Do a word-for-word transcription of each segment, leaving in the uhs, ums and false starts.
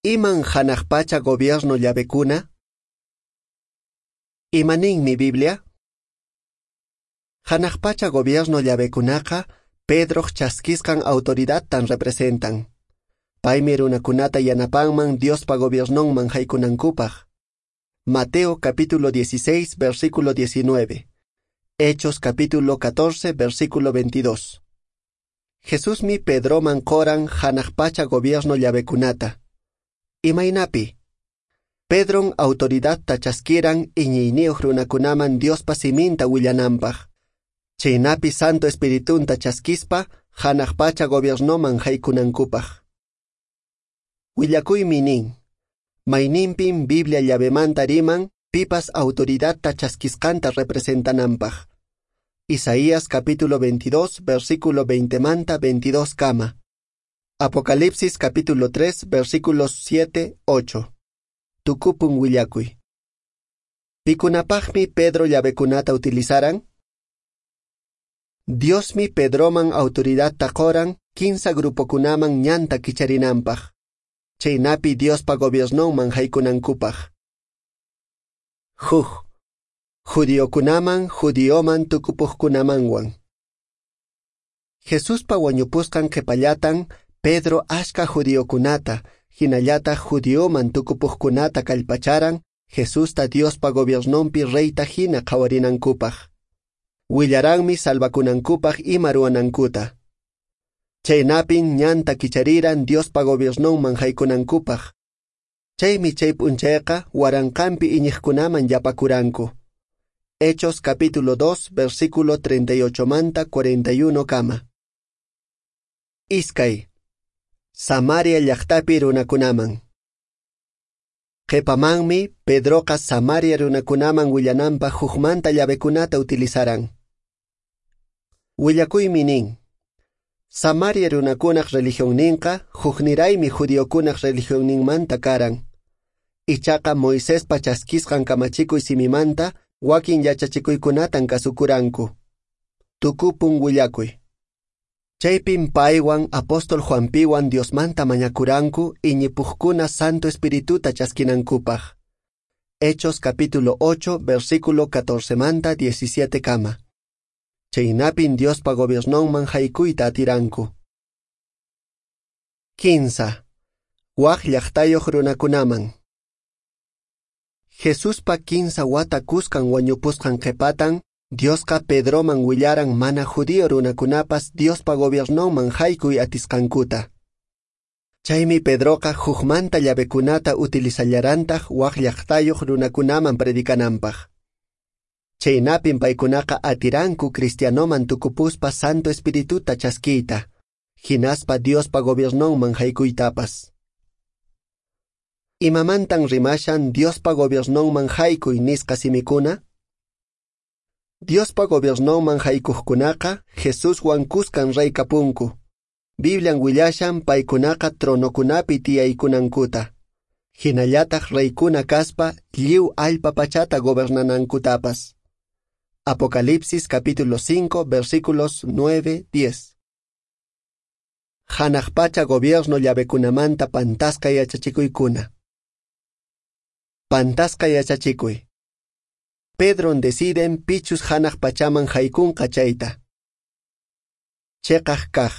Iman hanaq pacha gobierno llavekuna? Imaninmi Biblia? Hanaq pacha gobierno llavekunaqa Pedroq chaskisqan autoridadtan representan. Paymi runakunata yanapanman Diospa gobiernonman haykunankupaq. Mateo capítulo dieciséis, versículo diecinueve. Hechos capítulo catorce, versículo veintidós. Jesusmi Pedroman qoran hanaq pacha gobierno llavekunata. Imaynapi? Pedron autoridadta chaskiran iñiyniyuq runakunaman Diospa siminta willananpaq. Chaynapi Santo Espiritunta chaskispa hanaq pacha gobiernoman haykunankupaq. Willakuymi nin, mayninpin Biblia llavemanta riman pipas autoridadta chaskisqanta representananpaq. Isaías capítulo veintidós, versículo veinte manta veintidós kama. Apocalipsis capítulo tres, versículos siete, ocho. Tukupun willakuy. Pikunapaqmi Pedro llavekunata utilizaran? Diosmi Pedroman autoridadta qoran kinsa grupokunaman ñanta kicharinanpaq. Chaynapi Diospa gobiernonman haykunankupaq. Huk. Judiokunaman, judioman tukupuqkunamanwan. Jesuspa wañupusqan qhipallatan Pedro ashka judiokunata, hinallataq judioman tukupuqkunata kallpacharan Jesusta Diospa gobiernonpi reyta hina qhawarinankupaq. Willaranmi salvakunankupaq ima ruwanankuta. Chaynapin ñanta kichariran Diospa gobiernonman haykunankupaq. Chaymi chay p'unchayqa waranqanpi iñiqkunaman yapakuranku. Hechos capítulo dos, versículo treinta y ocho manta cuarenta y uno kama. Iskay. Samaria llaqtapi runakunaman. Qhipamanmi Pedroqa Samaria runakunaman willananpaq hukmanta llavekunata utilizaran. Willakuymi nin, Samaria runakunaq religionninqa hukniraymi judiokunaq religionninmanta karan. Ichaqa Moisespa chaskisqan kamachikuy simimanta wakin yachachikuykunatan kasukuranku. Tukupun willakuy. Chaypin paywan apóstol Juanpiwan Diosmanta mañakuranku iñipuqkuna Santo Espirituta chaskinankupaq. Hechos capítulo ocho, versículo catorce manta diecisiete kama. Chaynapin Diospa gobiernonman haykuyta atiranku. Kinsa. Wak llaqtayuq runakunaman. Jesuspa kinsa wata kuskan wañupusqan qhipatan, Diosqa Pedroman willaran mana judío runakunapas Diospa gobiernonman haykuy atisqankuta. Chaymi Pedroqa hukmanta llavekunata utilizallarantaq wak llaqtayuq runakunaman predicananpaq. Chaynapin paykunaqa atiranku cristianoman tukupuspa Santo Espirituta chaskiyta, hinaspa Diospa gobiernonman haykuytapas. Imamantan rimashan Diospa gobiernonman haykuy nisqa simikuna? Diospa gobiernonman haykuqkunaqa Jesuswan kuskan rey kapunku. Biblian willashan paykunaqa tronokunapi tiyaykunankuta. Hinallataq reykuna kaspa lliw allpa pachata gobernanankutapas. Apocalipsis capítulo cinco, versículos nueve, diez. Hanaq pacha gobierno llavekunamanta pantasqa yachachikuykuna. Pantasqa yachachikuy. Pedron deciden pichus hanaq pachaman haykunqa chayta. Cheqaq kaq.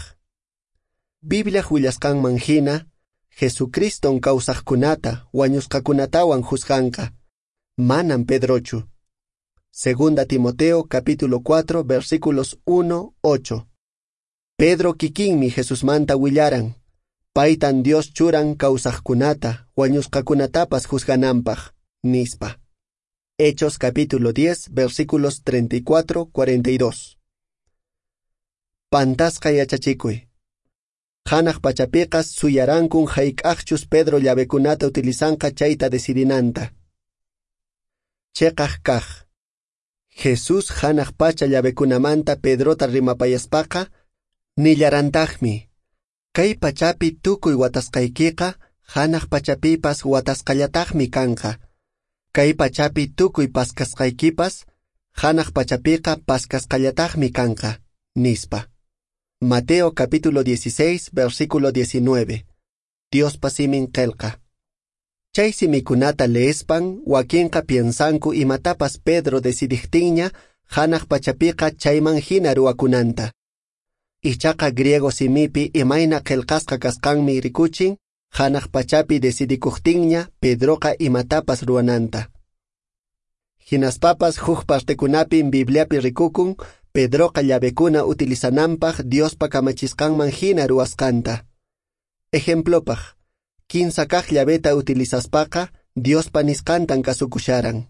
Bibliaq willasqanman hina, Jesucriston kawsaqkunata, wañusqakunatawan juzganqa. Manam Pedrochu. Segunda Timoteo capítulo cuatro, versículos uno, ocho. Pedro kikinmi Jesusmanta willaran. Paytan Dios churan kawsaqkunata, wañusqakunatapas juzgananpaq, nispa. Hechos capítulo diez, versículos treinta y cuatro, cuarenta y dos. Pantasqa yachachikuy. Hanaq pachapiqa suyarankun hayk'aqchus Pedro llavekunata utilizanqa chayta decidinanta. Cheqaq kaq. Jesús hanaq pacha llavekunamanta Pedrota rimapayaspaqa, nillarantaqmi, kay pachapi tukuy watasqaykiqa hanaq pachapipas watasqallataqmi kanqa. Kay pachapi tukuy paskasqaykipas hanaq pachapiqa paskasqallataqmi kanqa, nispa. Mateo capítulo dieciséis, versículo diecinueve. Diospa simin qelqa. Chay simikunata leespan wakinqa piensanku imatapas Pedro decidiqtinña hanaq pachapiqa chayman hina ruwakunanta. Ichaqa griego simipi imayna qillqasqa kasqanmi rikuchin hanaq pachapi decidikuqtinña Pedroqa imatapas ruwananta. Hinaspapas huk partekunapin Bibliapi rikukun Pedroqa llavekuna utilizananpaq Diospa kamachisqanman hina ruwasqanta. Ejemplopaq, kinsa kaq llaveta utilizaspaqa Diospa nisqantan kasukusharan.